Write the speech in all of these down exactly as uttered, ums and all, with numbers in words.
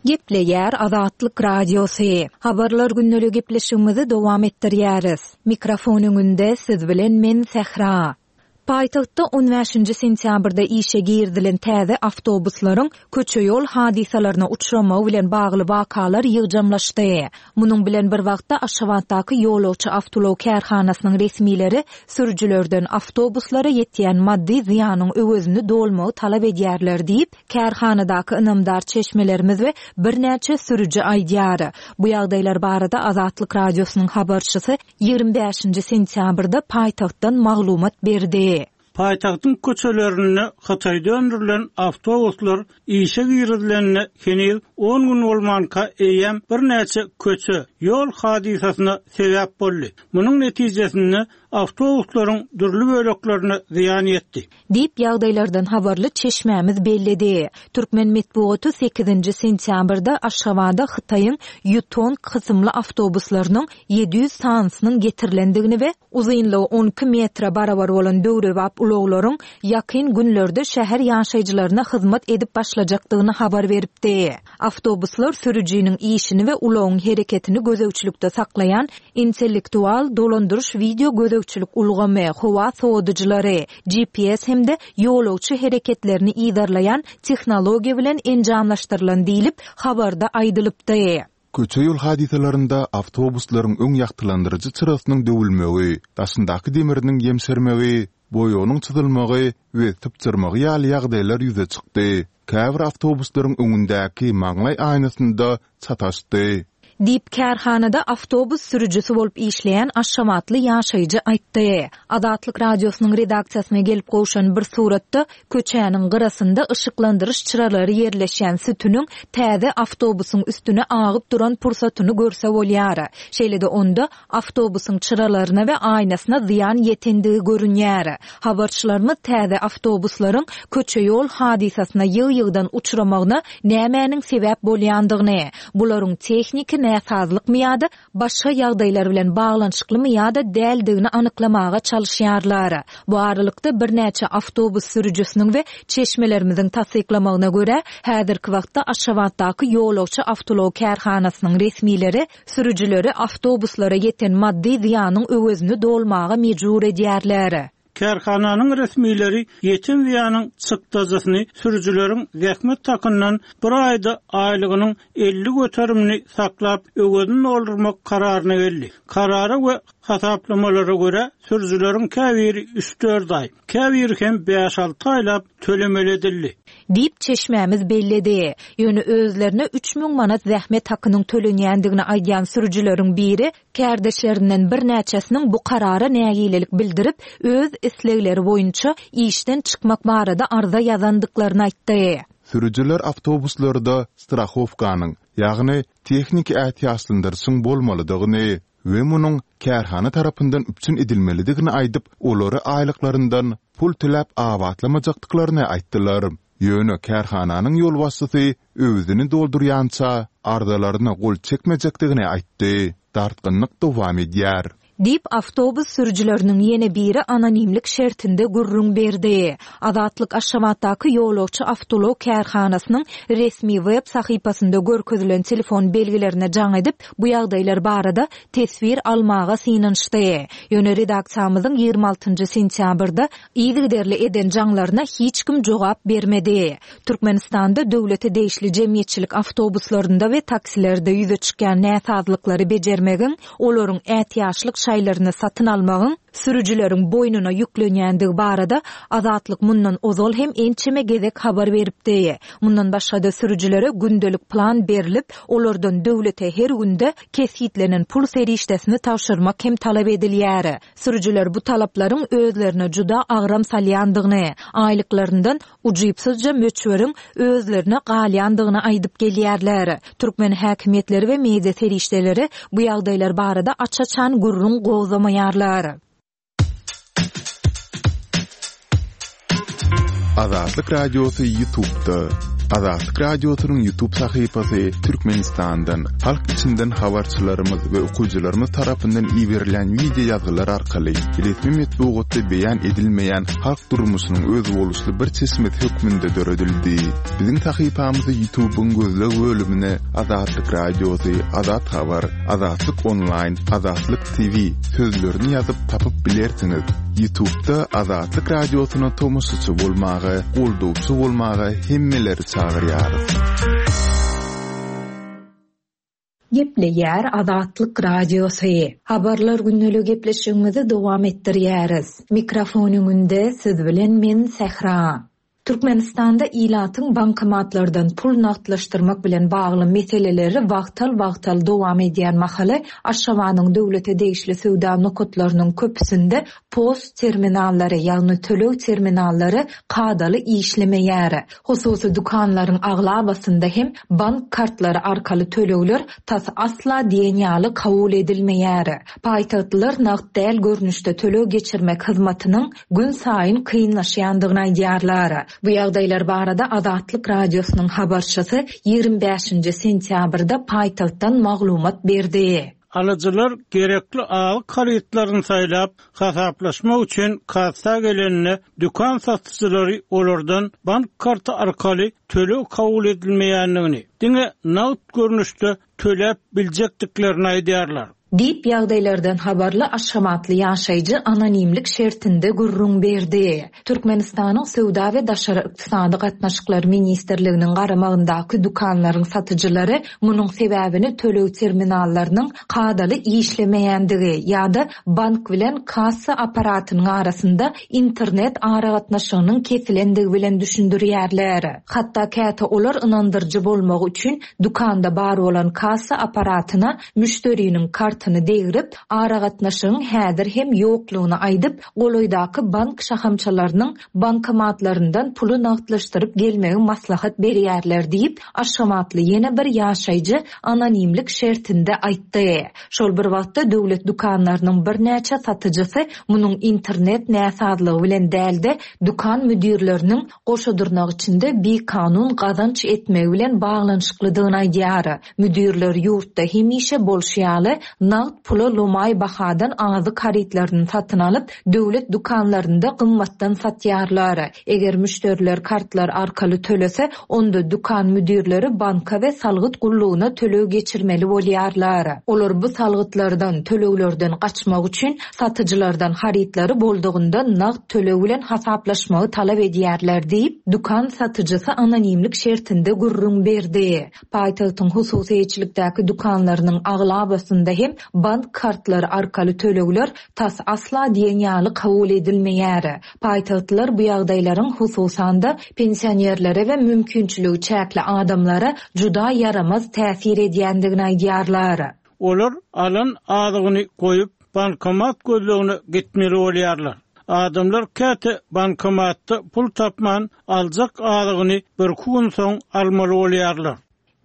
Gepleýär Azatlyk Radiosy. Habarlar gündeligi gepleşigimizi dowam etdirýäris. Mikrofon öňünde siz bilen men Sähra. Paýtagtda on bäşinji sentýabrda işe girizilen täze awtobuslaryň köçe-ýol hadysalaryna uçramagy bilen bagly wakalar ýygjamlaşdy. Munuň bilen bir wagtda Aşgabatdaky ýolagçy awtoulag kärhanasynyň resmileri sürüjilerden awtobuslara ýetýän maddy zyýanyň öwezini dolmagy talap edýärler diýip, kärhanadaky ynamdar çeşmelerimiz we birnäçe sürüji aýdýar. Bu ýagdaýlar barada Azatlyk Radiosynyň habarçysy ýigrimi bäşinji sentýabrda paýtagtdan maglumat berdi. Paýtagtyň köçelerinde Hytaýda öndürilen awtobuslar işe girizilenine heniz on gün bolmanka eýýäm birnäçe köçe ýol hadysasyna sebäp boldy. Munuň netijesinde awtobuslaryň dürli böleklerine zyýan ýetdi. Diýip ýagdaýlardan habarly çeşmämiz belledi. Türkmen metbugaty sekizinji sentýabrda Aşgabada Hytaýyň Yutong kysymly awtobuslarynyň ýedi ýüz sanysynyň getirilendigini we uzynlygy on iki metre barabar bolan döwrebap ulaglaryň ýakyn günlerde şäher ýaşaýjylaryna hyzmat edip başlajakdygyny habar beripdi. Awtobuslar sürüjiniň işini we ulagyň hereketini gözegçilikde saklaýan intellektual dolandyryş video gözegçilik ulgamy, howa sowadyjylary, G P S hem-de ýolagçy hereketlerini yzarlaýan tehnologiýa bilen enjamlaşdyrylan diýlip habarda aýdylypdy. Köçe ýol hadysalarynda awtobuslaryň öň ýagtylandyryjy çyrasynyň döwülmegi, daşyndaky demiriniň ýemşermegi, boýagynyň çyzylmagy we sypjyrmagy ýaly ýagdaýlar ýüze çykdy. Käbir awtobuslaryň öňündäki maňlaý aýnasynda çataşdy. Diýip kärhanada awtobus sürüjisi bolup işleýän Aşgabatly ýaşaýjy aýtdy. Azatlyk radiosynyň redaksiýasyna gelip gowşan bir suratda köçäniň gyrasynda yşyklandyryş çyralary ýerleşýän sütüniň täze awtobusyň üstüne agyp duran pursatyny görse bolýar. Şeýle-de onda awtobusyň çyralaryna we aýnasyna zyýan ýetendigi görünýär. Habarçylarymyz täze awtobuslaryň köçe ýol hadysasyna ýygy-ýygydan uçramagyna nämäniň sebäp bolýandygyny, bularyň tehniki näsazlykmy ýa-da başga ýagdaýlar bilen baglanyşyklymy ýa-da däldigini anyklamaga çalyşýarlar. Bu aralykda birnäçe awtobus sürüjisiniň we çeşmelerimiziň tassyklamagyna görä, häzirki wagtda Aşgabatdaky ýolagçy awtoulag kärhanasynyň resmileri sürüjileri awtobuslara ýeten maddy zyýanyň öwezini dolmaga mejbur edýärler. Kärhananyň resmileri ýeten zyýanyň çykdajysyny sürüjileriň zähmet takyndan bir aýda aýlygynyň elli göterimini saklap öwezini doldurmak kararyna geldi. Karara we hasaplamalara görä sürüjileriň käbiri üç dört aý, käbiri hem bäş alty aýlap tölemeli edildi. Diýip çeşmämiz belledi. Ýöne özlerine üç müň manat zähmet hakynyň tölenýändigini aýdýan sürüjileriň biri kärdeşlerinden birnäçesiniň bu karara nägilelik bildirip, öz islegleri boýunça işden çykmak barada arza ýazandyklaryny aýtdy. Sürüjiler awtobuslarda strahowkanyň, ýagny tehniki ätiýaçlandyryşyň bolmalydygyny we munuň kärhana tarapyndan üpjün edilmelidigini aýdyp, olary aýlyklaryndan pul töläp abatlamajakdyklaryny aýtdylar. Ýöne kärhananyň ýolbaşçysy öwezini doldurýança arzalaryna gol çekmejekdigini aýtdy. Dartgynlyk dowam edýär. Diýip awtobus sürüjileriniň ýene biri anonimlik şertinde gürrüň berdi. Azatlyk Aşgabatdaky ýolagçy awtoulag kärhanasynyň resmi web sahypasynda görkezilen telefon belgilerine jaň edip, bu ýagdaýlar barada teswir almaga synanyşdy. Ýöne redaksiýamyzyň ýigrimi altynjy sentýabrda yzygiderli eden jaňlaryna hiç kim jogap bermedi. Türkmenistanda döwlete degişli jemgyýetçilik awtobuslarynda we taksilerde ýüze çykýan näsazlyklary bejermegiň, olaryň ätiýaçlyk şaýlaryny satyn almagyň sürüjileriň boýnuna ýüklenýändigi barada Azatlyk mundan ozal hem ençeme gezek habar beripdi. Mundan başga-da sürüjilere gündelik plan berilip, olardan döwlete her günde kesgitlenen pul serişdesini tabşyrmak hem talap edilýär. Sürüjiler bu talaplaryň özlerine juda agram salýandygyny, aýlyklaryndan ujypsyzja möçberiň özlerine galýandygyny aýdyp gelýärler. Türkmen häkimiýetleri we media serişdeleri bu ýagdaýlar barada aç-açan gürrüň gozgamaýarlar. Azatlyk Radiosy YouTube'da. Azatlyk Radiosynyň YouTube sahypasy Türkmenistandan, halk içinden habarçylarymyz we okyjylarymyz tarapyndan iberilen wideo ýazgylar arkaly resmi metbugatda beýan edilmeýän halk durmuşynyň özboluşly bir çeşmesi hökmünde döredildi. Biziň sahypamyzy YouTube'yň gözleg bölümine Azatlyk Radiosy, Azat Habar, Azatlyk Online, Azatlyk T V sözlerini ýazyp tapyp bilersiňiz. YouTube'da Azatlyk Radiosyna tomaşaçy bolmaga, goldawçy bolmaga hemmeleri çagyrýarys. Gepleýär Azatlyk Radiosy. Habarlar gündelik gepleşigimizi dowam etdirýäris. Mikrofon öňünde siz bilen men Sähra. Türkmenistanda ilatyň bankomatlardan pul nagtlaşdyrmak bilen bagly meseleleri wagtal-wagtal dowam edýän mahaly Aşgabadyň döwlete degişli söwda nokatlarynyň köpüsinde post terminallary, ýagny töleg terminallary kadaly işlemeýär. Hususy dükanlaryň aglabasynda hem bank kartlary arkaly tölegler tas asla diýen ýaly kabul edilmeýär. Paýtagtlylar nagt däl görnüşde töleg geçirmek hyzmatynyň gün saýyn kynlaşýandygyny aýdýarlar. Bu ýagdaýlar barada Azatlyk Radiosynyň habarçysy ýigrimi bäşinji sentýabrda paýtagtdan maglumat berdi. Alyjylar gerekli azyk harytlaryny saýlap, hasaplaşmak üçin kassa gelenine dükan satyjylary olardan bank karty arkaly töleg kabul edilmeýändigini, diňe nagt görnüşde töläp biljekdiklerini aýdýarlar. Diýip ýagdaýlardan habarly Aşgabatly ýaşaýjy anonimlik şertinde gürrüň berdi. Türkmenistanyň Söwda we Daşary Ykdysady Gatnaşyklar Ministrliginiň garamagyndaky dükanlaryň satyjylary munuň sebäbini töleg terminallarynyň kadaly işlemeýändigi ýa-da bank bilen kassa aparatynyň arasynda internet aragatnaşygynyň kesilendigi bilen düşündirýärler. Hatda käte olar ynandyryjy bolmagy üçin dükanda bar bolan kassa aparatyna müşderiniň kartyny degrip, aragatnaşygyň häzir hem ýoklugyny aýdyp, golaýdaky bank şahamçalarynyň bankomatlaryndan puly nagtlaşdyryp gelmegi maslahat berýärler diýip, Aşgabatly ýene bir ýaşaýjy anonimlik şertinde aýtdy. Şol bir wagtda döwlet dükanlarynyň birnäçe satyjysy munuň internet näsazlygy bilen dälde dükan müdirleriniň goşadyrnak içinde bikanun gazanç etmegi bilen baglanyşyklydygyny aýdýar. Müdirler ýurtda hemişe bolşy ýaly nagt pula lomaý bahadan azyk harytlaryny satyn alyp, döwlet dükanlarynda gymmatdan satýarlar. Eger müşderiler kartlar arkaly tölese, onda dükan müdirleri banka we salgyt gullugyna töleg geçirmeli bolýarlar. Olar bu salgytlardan, töleglerden gaçmak üçin satyjylardan harytlary boldugynda nagt töleg bilen hasaplaşmagy talap edýärler diýip, dükan satyjysy anonimlik şertinde gürrüň berdi. Paýtagtyň hususyýetçilikdäki dükanlarynyň aglabasynda hem bank kartlary arkaly tölegler tas asla diýen ýaly kabul edilmeýär. Paýtagtlylar bu ýagdaýlaryň hususan-da pensionerlere we mümkinçiligi çäkli adamlara juda ýaramaz täsir edýändigini aýdýarlar. Olar alan azygyny goýup bankomat gözlegine gitmeli bolýarlar. Adamlar käte bankomatda pul tapman aljak azygyny bir gün soň almaly bolýarlar.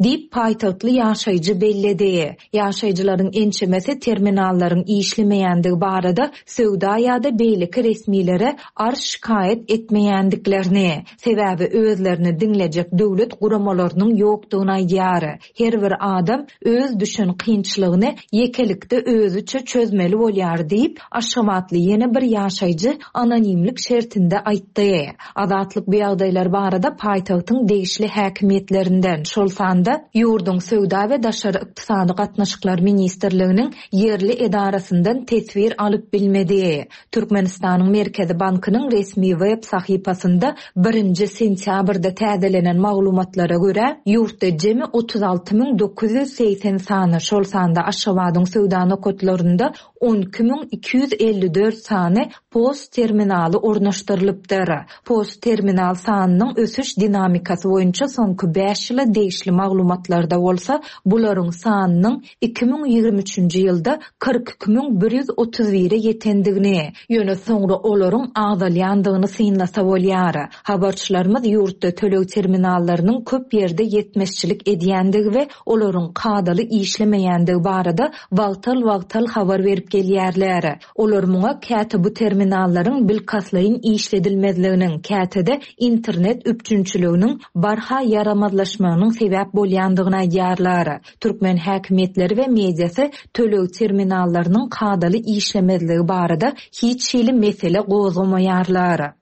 Diýip paýtagtly ýaşaýjy belledi. Ýaşaýjylaryň ençemesi terminallaryň işlemeýändigi barada söwda ýa-da beýleki resmilere arz şikaýat etmeýändiklerini, sebäbi özlerini diňlejek döwlet guramalarynyň ýokdugyny aýdýar. Her bir adam öz düşen kynçylygyny ýekelikde özüçe çözmeli bolýar diýip, Aşgabatly ýene bir ýaşaýjy anonimlik şertinde aýtdy. Azatlyk bu ýagdaýlar barada paýtagtyň degişli häkimiýetlerinden, şol sanda ýurduň Söwda we Daşary Ykdysady Gatnaşyklar Ministrliginiň ýerli edarasyndan teswir alyp bilmedi. Türkmenistanyň Merkezi Bankynyň resmi web sahypasynda birinji sentýabrda täzelenen maglumatlara görä, ýurtda jemi otuz alty müň dokuz ýüz segsen sany, şol sanda Aşgabadyň söwda nokatlarynda on iki müň iki ýüz elli dört sany post terminaly ornaşdyrylypdyr. Post terminal sanynyň ösüş dinamikasy boýunça soňky bäş ýyla degişli maglumatlar maglumatlarda bolsa bularyň sanynyň iki müň ýigrimi üçünji ýylda kyrk iki müň bir ýüz otuz bire ýetendigini, ýöne soňra olaryň azalýandygyny synlasa bolýar. Habarçylarymyz ýurtda töleg terminallarynyň köp ýerde ýetmezçilik edýändigi we olaryň kadaly işlemeýändigi barada wagtal-wagtal habar berip gelýärler. Olar muňa käte bu terminallaryň bilkastlaýyn işledilmezliginiň, käte-de internet üpjünçiliginiň barha ýaramazlaşmagynyň sebäp bolýandygyny aýdýarlar. Türkmen häkimiýetleri we mediasy töleg terminallarynyň kadaly işlemezligi barada hiç hili mesele gozgamaýarlar.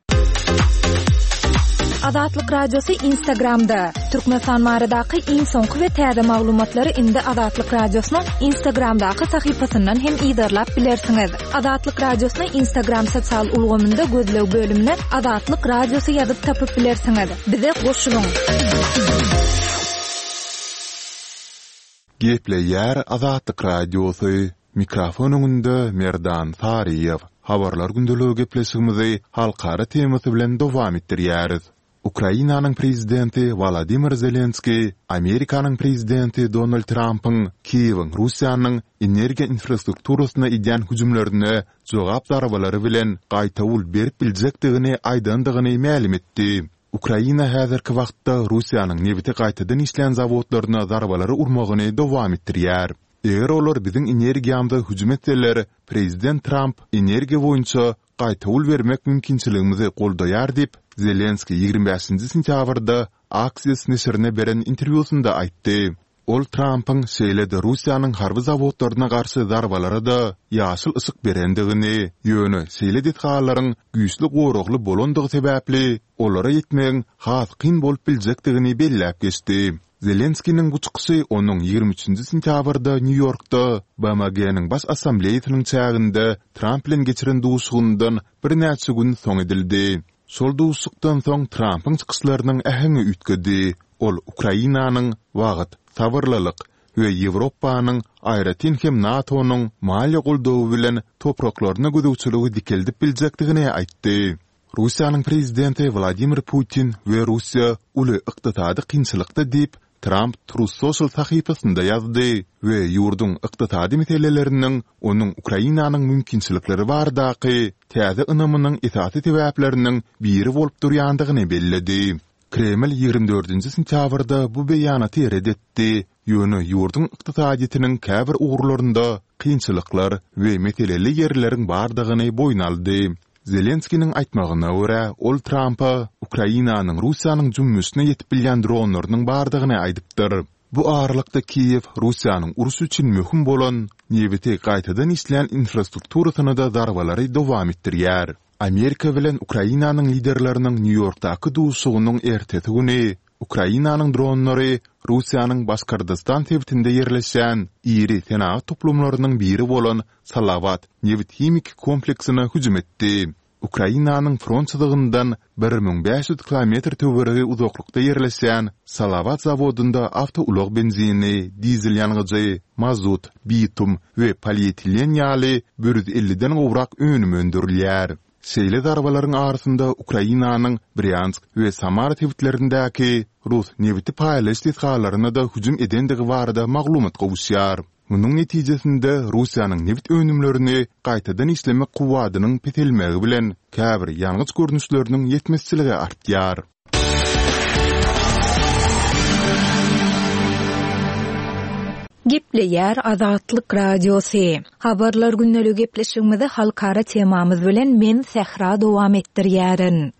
Azatlyk Radiosy Instagramda. Türkmenistan baradaky iň soňky we täze maglumatlary indi Azatlyk Radiosynyň Instagramdaky sahypasyndan hem yzarlap bilersiňiz. Azatlyk Radiosyny Instagram sosial ulgamynda gözleg bölümine Azatlyk Radiosy ýazyp tapyp bilersiňiz. Bize goşulyň. Gepleýär Azatlyk Radiosy. Mikrofon öňünde Merdan Saryýew. Habarlar gündeligi gepleşigimizi halkara temasy bilen dowam etdirýäris. Ukrainanyň prezidenti Wolodymyr Zelenskiý Amerikanyň prezidenti Donald Trampyň Kiýewiň Russiýanyň energiýa infrastrukturasyna edýän hüjümlerine jogap zarbalary bilen gaýtawul berip biljekdigini aýdandygyny mälim etdi. Ukraina häzirki wagtda Russiýanyň nebiti gaýtadan işleýän zawodlaryna zarbalary urmagyny dowam etdirýär. Eger olar biziň energiýamyza hüjüm etseler, prezident Tramp energiýa boýunça gaýtawul bermek mümkinçiligimizi goldaýar diýip, Zelenskiý ýigrimi bäşinji sentýabrda Axios neşirine beren interwýusynda aýtdy. Ol Trampyň şeýle-de Russiýanyň harby zawodlaryna garşy zarbalara-da ýaşyl yşyk berendigini, ýöne şeýle desgalaryň güýçli goragly bolandygy sebäpli olara ýetmegiň has kyn bolup biljekdigini belläp geçdi. Zelenskiniň bu çykyşy onuň ýigrimi üçünji sentýabrda Nýu-Ýorkda B M G-niň Baş Assambleýasynyň çäginde Tramp bilen geçiren duşuşygyndan birnäçe gün soň edildi. Şol duşuşykdan soň Trampyň çykyşlarynyň äheňi üýtgedi. Ol Ukrainanyň wagt, sabyrlylyk we Ýewropanyň, aýratyn hem NATO-nyň maliýe goldawy bilen topraklaryna gözegçiligi dikeldip biljekdigini aýtdy. Russiýanyň prezidenti Wladimir Putin we Russiýa uly ykdysady kynçylykda diýip, Tramp Truth Social sahypasynda ýazdy we ýurduň ykdysady meseleleriniň onuň Ukrainanyň mümkinçilikleri baradaky täze ynamynyň esasy sebäpleriniň biri bolup durýandygyny belledi. Kreml ýigrimi dördünji sentýabrda bu beýanaty ret etdi, ýöne ýurduň ykdysadyýetiniň käbir ugurlarynda kynçylyklar we meseleli ýerleriň bardygyny boýun aldy. Zelenskiniň aýtmagyna görä, ol Trampa Ukrainanyň Russiýanyň jümmüşine ýetip bilýän dronlarynyň bardygyny aýdypdyr. Bu aralykda Kiýew Russiýanyň uruş üçin möhüm bolan nebiti gaýtadan işleýän infrastrukturasyna-da zarbalary dowam etdirýär. Amerika bilen Ukrainanyň liderleriniň Nýu-Ýorkdaky duşuşygynyň ertesi güni Ukrainanyň dronlary Russiýanyň Başkordostan sebitinde ýerleşýän iri senagat toplumlarynyň biri bolan Salawat nebit-himiki kompleksine hüjüm etdi. Ukrainanyň front çyzygyndan bir müň bäş ýüz kilometr töweregi uzaklykda ýerleşýän Salawat zawodynda awtoulag benzini, dizel ýangyjy, mazut, bitum we polietilen ýaly bir ýüz elliden gowrak önüm öndürilýär. Şeýle zarbalaryň arasynda Ukrainanyň Brýansk we Samara sebitlerindäki rus nebiti paýlaýyş desgalaryna-da hüjüm edendigi barada maglumat gowuşýar. Munuň netijesinde Russiýanyň nebit önümlerini gaýtadan işlemek kuwwadynyň peselmegi bilen käbir ýangyç görnüşleriniň ýetmezçiligi artýar. Gepleýär Azatlyk Radiosy. Habarlar gündeligi gepleşigimizi halkara temamyz bilen men Sähra dowam etdirýärin.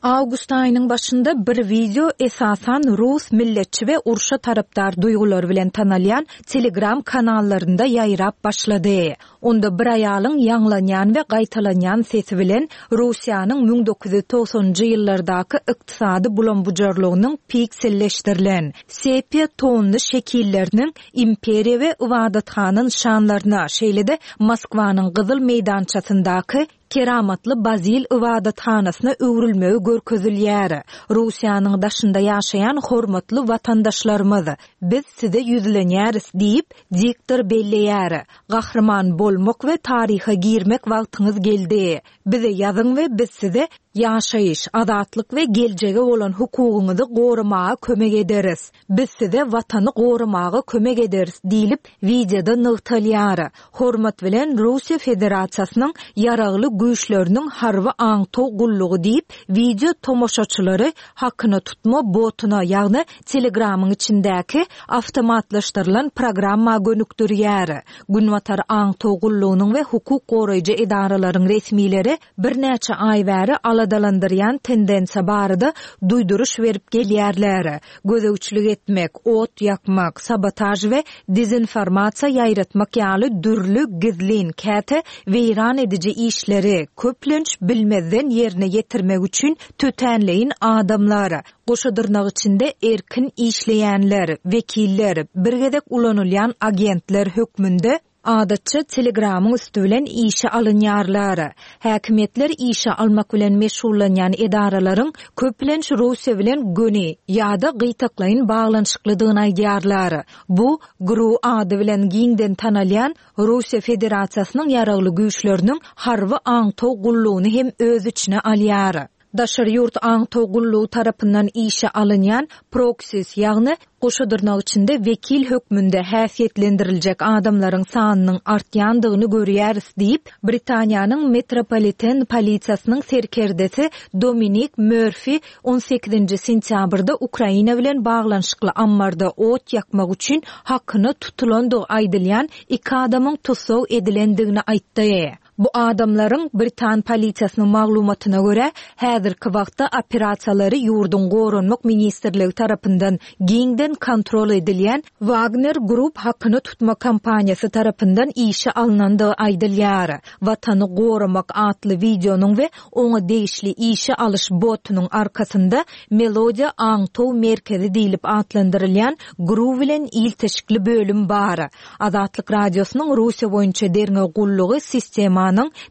Awgust aýynyň başynda bir wideo esasan rus milletçi we urşa tarapdar duýgulary bilen tanalýan Telegram kanallarynda ýaýrap başlady. Onda bir aýalyň ýaňlanýan we gaýtalanýan sesi bilen Russiýanyň müň dokuz ýüz togsanynjy ýyllardaky ykdysady bulam-bujarlygynyň pikselleşdirilen sepia tonly şekilleriniň imperiýa we ybadathana nyşanlaryna, şeýle-de Moskwanyň Gyzyl meýdançasyndaky Keramatly Bazil ybadathanasyna öwrülmegi görkezilýär. Russiýanyň daşynda ýaşaýan hormatly watandaşlarymyz, biz size ýüzlenýäris diýip, diktor belleýär. Gahryman bolmak we taryha girmek wagtyňyz geldi. Bize ýazyň we biz size Ýaşaýyş, azatlyk we geljege bolan hukugyňyzy goramaga kömek ederis. Biz size watany goramaga kömek ederis diýlip, wideoda nygtalýar. Hormat bilen Russiýa Federasiýasynyň Ýaragly Güýçleriniň harby aňtaw gullugy diýip, wideo tomaşaçylary hakyna tutma botuna, ýagny Telegramyň içindäki awtomatlaşdyrylan programma gönükdirýär. Günbatar aňtaw gullugynyň we hukuk goraýjy edaralaryň resmileri birnäçe aý bäri aladalandyrýan tendensiýa barada duýduryş berip gelýärler. Gözegçilik etmek, ot ýakmak, sabotaž we dezinformasiýa ýaýratmak ýaly dürli gizlin, käte weýran ediji işleri köplenç bilmezden ýerine ýetirmek üçin tötänleýin adamlar, goşa dyrnak içinde erkin işleýänler, wekiller, bir gezek ulanylýan agentler hökmünde adatça Telegramyň üsti bilen işe alynýarlar. Häkimiýetler işe almak bilen meşgullanýan edaralaryň köplenç Russiýa bilen göni ýa-da gytaklaýyn baglanyşyklydygyny aýdýarlar. Bu GRU ady bilen giňden tanalýan Russiýa Federasiýasynyň Ýaragly Güýçleriniň harby aňtaw gullugyny hem öz içine alýar. Daşary ýurt aňtaw gullugy tarapyndan işe alynýan proksis, ýagny goşa dyrnak içinde wekil hökmünde häsiýetlendiriljek adamlaryň sanynyň artýandygyny görýäris diýip, Britaniýanyň Metropoliten polisiýasynyň serkerdesi Dominik Mörfi on sekizinji sentýabrda Ukraina bilen baglanyşykly ammarda ot ýakmak üçin hakyna tutulandygy aýdylýan iki adamyň tussag edilendigini aýtdy. Bu adamlaryň Britan polisiýasynyň maglumatyna görä, häzirki wagtda operasiýalary ýurduň Goranmak ministrligi tarapyndan giňden kontrol edilýän Wagner Group hakyna tutma kompaniýasy tarapyndan işe alnandygy aýdylýar. Watany goramak atly wideonyň we oňa degişli işe alyş botunyň arkasynda Melodiýa aňtaw merkezi diýlip atlandyrylýan GRU bilen ilteşikli bölüm bar. Azatlyk Radiosynyň Russiýa boýunça derňew gullugy sistemanyň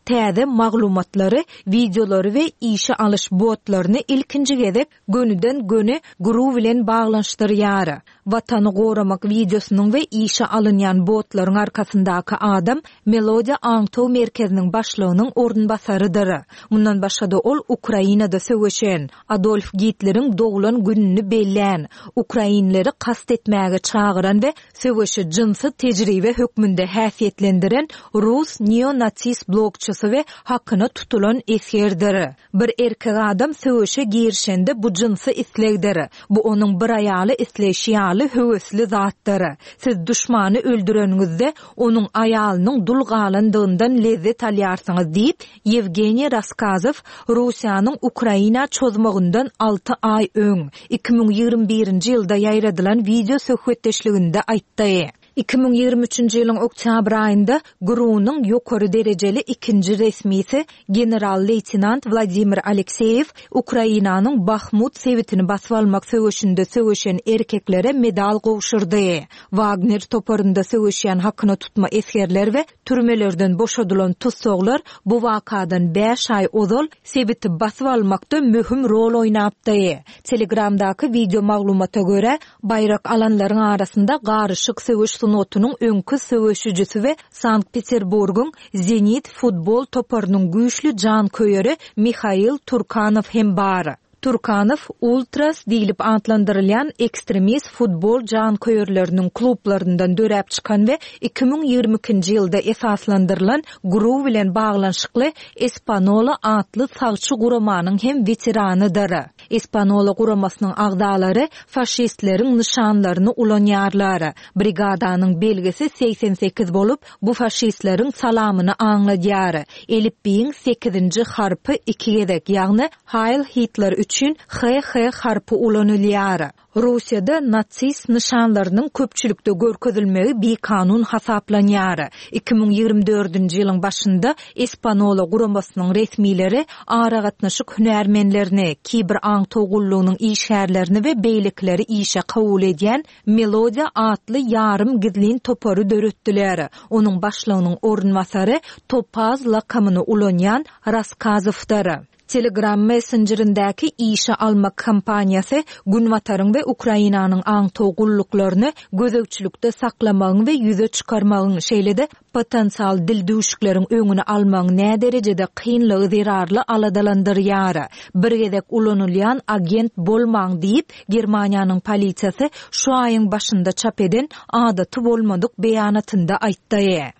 täze maglumatlary, wideolary we işe alyş botlaryny ilkinji gezek gönüden-göni GRU bilen baglanyşdyrýar. Watany goramak wideosynyň we işe alynýan botlaryň arkasyndaky adam Melodiýa aňtaw merkeziniň başlygynyň orunbasarydyr. Mundan başga-da ol Ukrainada söweşen, Adolf Gitleriň doglan gününi bellän, ukrainleri kast etmäge çagyran we söweşi jynsy tejribe hökmünde häsiýetlendiren rus neonatist blogçysy we hakyna tutulan esgerdir. Bir erkek adam söweşe girişende bu jynsy islegdir. Bu onuň bir aýaly isleýşi ýaly höwesli zatdyr. Siz duşmany öldüreniňizde onuň aýalynyň dul galandygyndan lezzet alýarsyňyz diýip, Ýewgeniý Raskazow Russiýanyň Ukraina çozmagyndan alty aý öň, iki müň ýigrimi birinji ýylda ýaýradylan wideo söhbetdeşliginde aýtdy. Iki müň ýigrimi üçünji ýylyň oktýabr aýynda GRU-nyň ýokary derejeli ikinji resmisi general-leýtenant Wladimir Alekseýew Ukrainanyň Bahmut sebitini basyp almak söweşinde söweşen erkeklere medal gowşurdy. Wagner toparynda söweşýän hakyna tutma esgerler we türmelerden boşadylan tussaglar bu wakadan bäş aý ozal sebiti basyp almakda möhüm rol oýnapdy. Telegramdaky wideo maglumata görä, baýrak alanlaryň arasynda garyşyk söweş sungatynyň öňki söweşijisi we Sankt-Peterburgyň Zenit futbol toparynyň güýçli janköýeri Mihail Turkanow hem bar. Turkanow Ultras diýlip atlandyrylýan ekstremist futbol janköýerleriniň klublaryndan döräp çykan we iki müň ýigrimi ikinji ýylda esaslandyrylan GRU bilen baglanyşykly Espanola atly sagçy guramanyň hem weteranydyr. Espanola guramasynyň agzalary faşistleriň nyşanlaryny ulanýarlar. Brigadanyň belgisi segsen sekiz bolup, bu faşistleriň salamyny aňladýar. Elipbiýiň sekizinji harpy iki gezek, ýagny Heil Hitler üçin H H harpy ulanylýar. Russiýada natsist nyşanlarynyň köpçülikde görkezilmegi bikanun hasaplanýar. Iki müň ýigrimi dördünji ýylyň başynda Espanola guramasynyň resmileri aragatnaşyk hünärmenlerini, kiber aňtaw gullugynyň işgärlerini we beýlekileri işe kabul edýän Melodiýa atly ýarym gizlin topary döretdiler. Onuň başlygynyň orunbasary Topaz lakamyny ulanýan Raskazowdyr. Telegram messenjerindäki işe almak kampaniýasy Günbataryň we Ukrainanyň aňtaw gulluklaryny gözegçilikde saklamagyň we ýüze çykarmagyň, şeýle-de potensial dildüwşükleriň öňüni almagyň näderejede kynlygy zerarly aladalandyrýar. Bir gezek ulanylýan agent bolmaň diýip, Germaniýanyň polisiýasy şu aýyň başynda çap eden adaty bolmadyk beýanatynda aýtdy.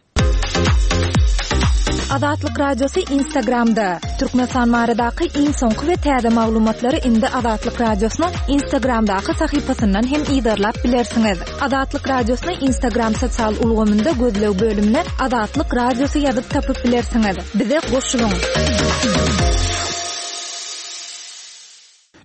Azatlyk Radiosy Instagramda. Türkmenistan baradaky iň soňky we täze maglumatlary indi Azatlyk Radiosynyň Instagramdaky sahypasyndan hem yzarlap bilersiňiz. Azatlyk Radiosyny Instagram sosial ulgamynda gözleg bölümine Azatlyk Radiosy ýazyp tapyp bilersiňiz. Bize goşulyň!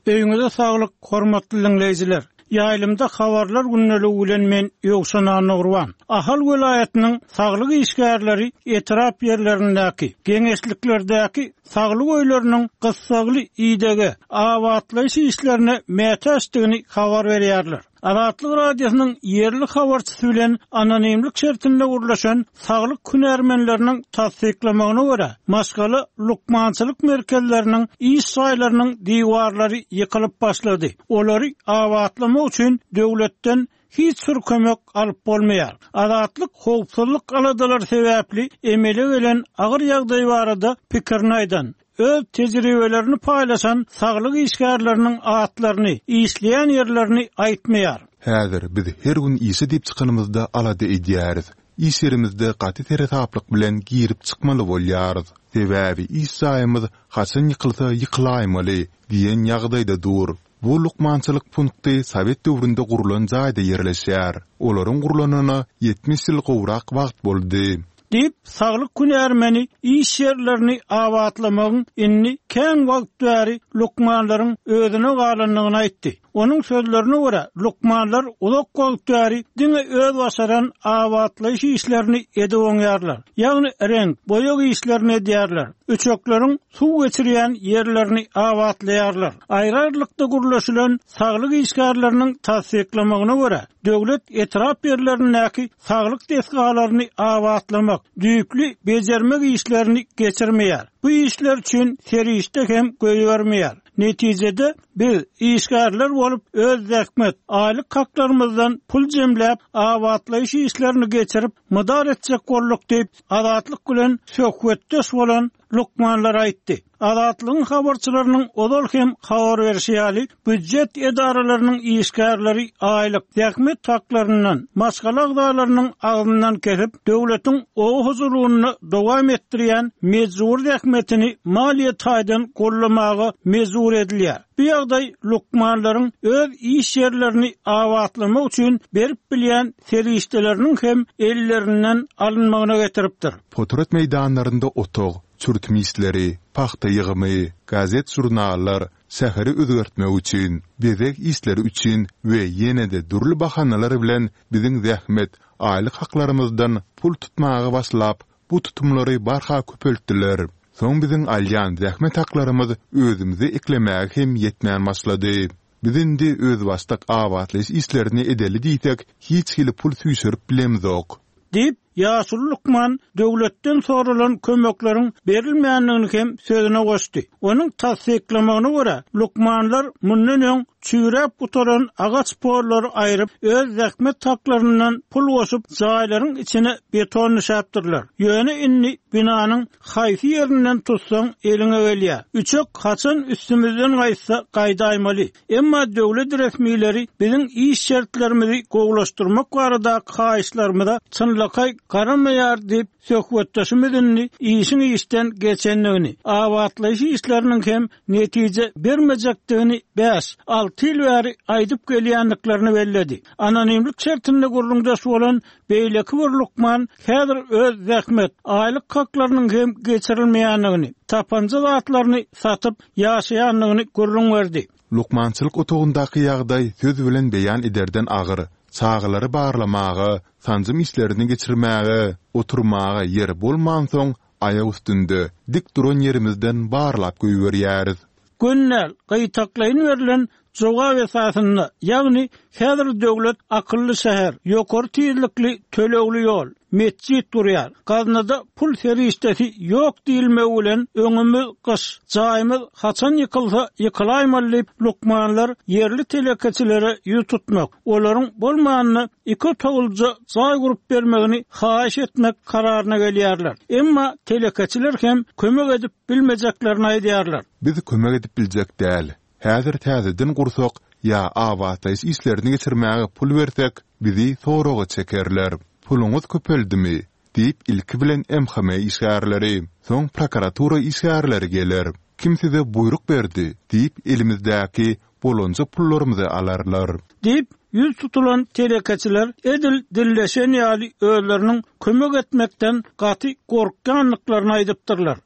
Öýüňize saglyk, hormatly diňleýjiler! Ýaýlymda habarlar gündeligi bilen men Ýowşan Annagurban. Ahal welaýatynyň saglyk işgärleri etrap ýerlerindäki, geňeşliklerdäki saglyk öýleriniň gyssagly idege, abatlaýyş işlerine mätäçdigini habar berýärler. Azatlyk Radiosynyň ýerli habarçysy bilen anonimlik şertinde gürleşen saglyk hünärmenleriniň tassyklamagyna görä, maşgala lukmançylyk merkezleriniň iş jaýlarynyň diwarlary ýykylyp başlady. Olary abatlamak üçin döwletden hiç bir kömek alyp bolmaýar. Azatlyk howpsuzlyk aladalary sebäpli emele gelen agyr ýagdaý barada pikirini aýdan, öz tejribelerini paýlaşan saglyk işgärleriniň atlaryny, işleýän ýerlerini aýtmaýar. Häzir biz her gün işe diýip çykanymyzda alada edýäris. Iş ýerimizde gaty seresaplyk bilen girip çykmaly bolýarys. Sebäbi iş jaýymyz haçan ýykylsa ýykylaýmaly diýen ýagdaýda dur. Bu lukmançylyk punkty sowet döwründe gurlan jaýda ýerleşýär. Olaryň gurlanyna ýetmiş ýyl gowrak wagt boldy. Diýip, saglyk hünärmeni iş ýerlerini abatlamagyň indi kän wagt bäri lukmanlaryň özüne galandygyny aýtdy. Onuň sözlerine görä, lukmanlar uzak wagt bäri diňe öz başaran abatlaýyş işlerini edip oňýarlar. Ýagny reňk, boýag işlerini edýärler. Üçekleriň suw geçirýän ýerlerini abatlaýarlar. Aýry-aýrylykda gürleşilen saglyk işgärleriniň tassyklamagyna görä, döwlet etrap ýerlerindäki saglyk desgalaryny abatlamak, düýpli bejermek işlerini geçirmeýär. Bu işler üçin serişde hem goýbermeýär. Netijede, biz, işgärler bolup, öz zähmet, aýlyk haklarymyzdan pul jemläp, abatlaýyş işlerini geçirip, mydar etjek bolduk diýip, Azatlyk bilen söhbetdeş bolan lukmanlar aýtdy. Azatlygyň habarçylarynyň ozal hem habar berşi ýaly, býujet edaralarynyň işgärleri aýlyk, zähmet haklaryndan, maşgala agzalarynyň agzyndan kesip, döwletiň oba hojalygynda dowam etdirýän mejbury zähmetini maliýe taýdan goldamaga mejbur edilýär. Bu ýagdaý lukmanlaryň öz iş ýerlerini abatlamak üçin berip bilýän serişdeleriniň hem ellerinden alynmagyna getiripdir. Potrat meýdanlarynda otag, çürtüm işleri, pagta ýygymy, gazet-žurnallar, şäheri özgertmek üçin, bezeg işleri üçin we ýene-de dürli bahanalar bilen biziň zähmet, aýlyk haklarymyzdan pul tutmaga başlap, bu tutumlary barha köpeltdiler. Soň biziň alýan zähmet haklarymyz özümizi eklemäge hem ýetmän başlady. Biz indi özbaşdak abatlaýyş işlerini edeli diýsek, hiç hili pul süýşürip bilemzok. Diýip, ýaşuly lukman döwletden soralan kömekleriň berilmändigini hem sözüne goşdy. Onuň tassyklamagyna görä, lukmanlar mundan öň çüýräp gutaran agaç pollary aýryp, öz zähmet haklaryndan pul goşup, jaýlaryň içine beton düşäpdirler. Ýöne indi binanyň haýsy ýerinden tutsaň eliňe gelýär. Üçek haçan üstümizden gaýtsa gaýdaýmaly. Emma döwlet resmileri biziň iş şertlerimizi gowulaşdyrmak baradaky haýyşlarymyza çynlakaý garamaýar diýip, söhbetdeşimiz indi işiň işden geçendigini, abatlaýyş işleriniň hem netije bermejekdigini bäş, alty ýyl bäri aýdyp gelýändiklerini belledi. Anonimlik şertinde gürrüňdeş bolan beýleki bir lukman häzir öz zähmet, aýlyk haklarynyň hem geçirilmeýändigini, tapanja zatlaryny satyp ýaşaýandygyny gürrüň berdi. Lukmançylyk otagyndaky ýagdaý söz bilen beýan ederden agyr. Çagalary barlamaga, sanjym işlerini geçirmäge, oturmaga ýer bolmansoň, aýak üstünde, dik duran ýerimizden barlap goýberýäris. Göni däl, Gytaklaýyn berlen jogap esasynda, ýagny häzir döwlet akylly şäher, ýokary tizlikli tölegli ýol, metjit gurýar, gaznada pul serişdesi ýok diýilmegi bilen öňümiz gyş, jaýymyz haçan ýykylsa ýykylaýmaly diýip, lukmanlar ýerli telekeçilere ýüz tutmak, olaryň bolmanda iki otaglyja jaý gurup bermegini haýyş etmek kararyna gelýärler. Emma telekeçiler hem kömek edip bilmejeklerini aýdýarlar. Biz kömek edip biljek däl. Häzir täzeden gursak ýa abatlaýyş işlerini geçirmäge pul bersek, bizi soraga çekerler. Puluňyz köpeldimi? diýip, ilki bilen MHM işgärleri, soň prokuratura işgärleri geler. Kim size buýruk berdi? diýip, elimizdäki bolanja pullarymyzy alarlar. Diýip, ýüz tutulan telekeçiler edil dilleşen ýaly özleriniň kömek etmekden gaty gorkýandyklaryny aýdypdyrlar.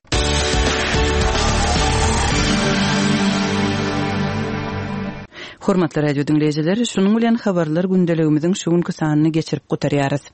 Hormatly radio diňleýjiler, şunuň bilen habarlar gündeligimiziň şu günki sanyny geçirip gutarýarys.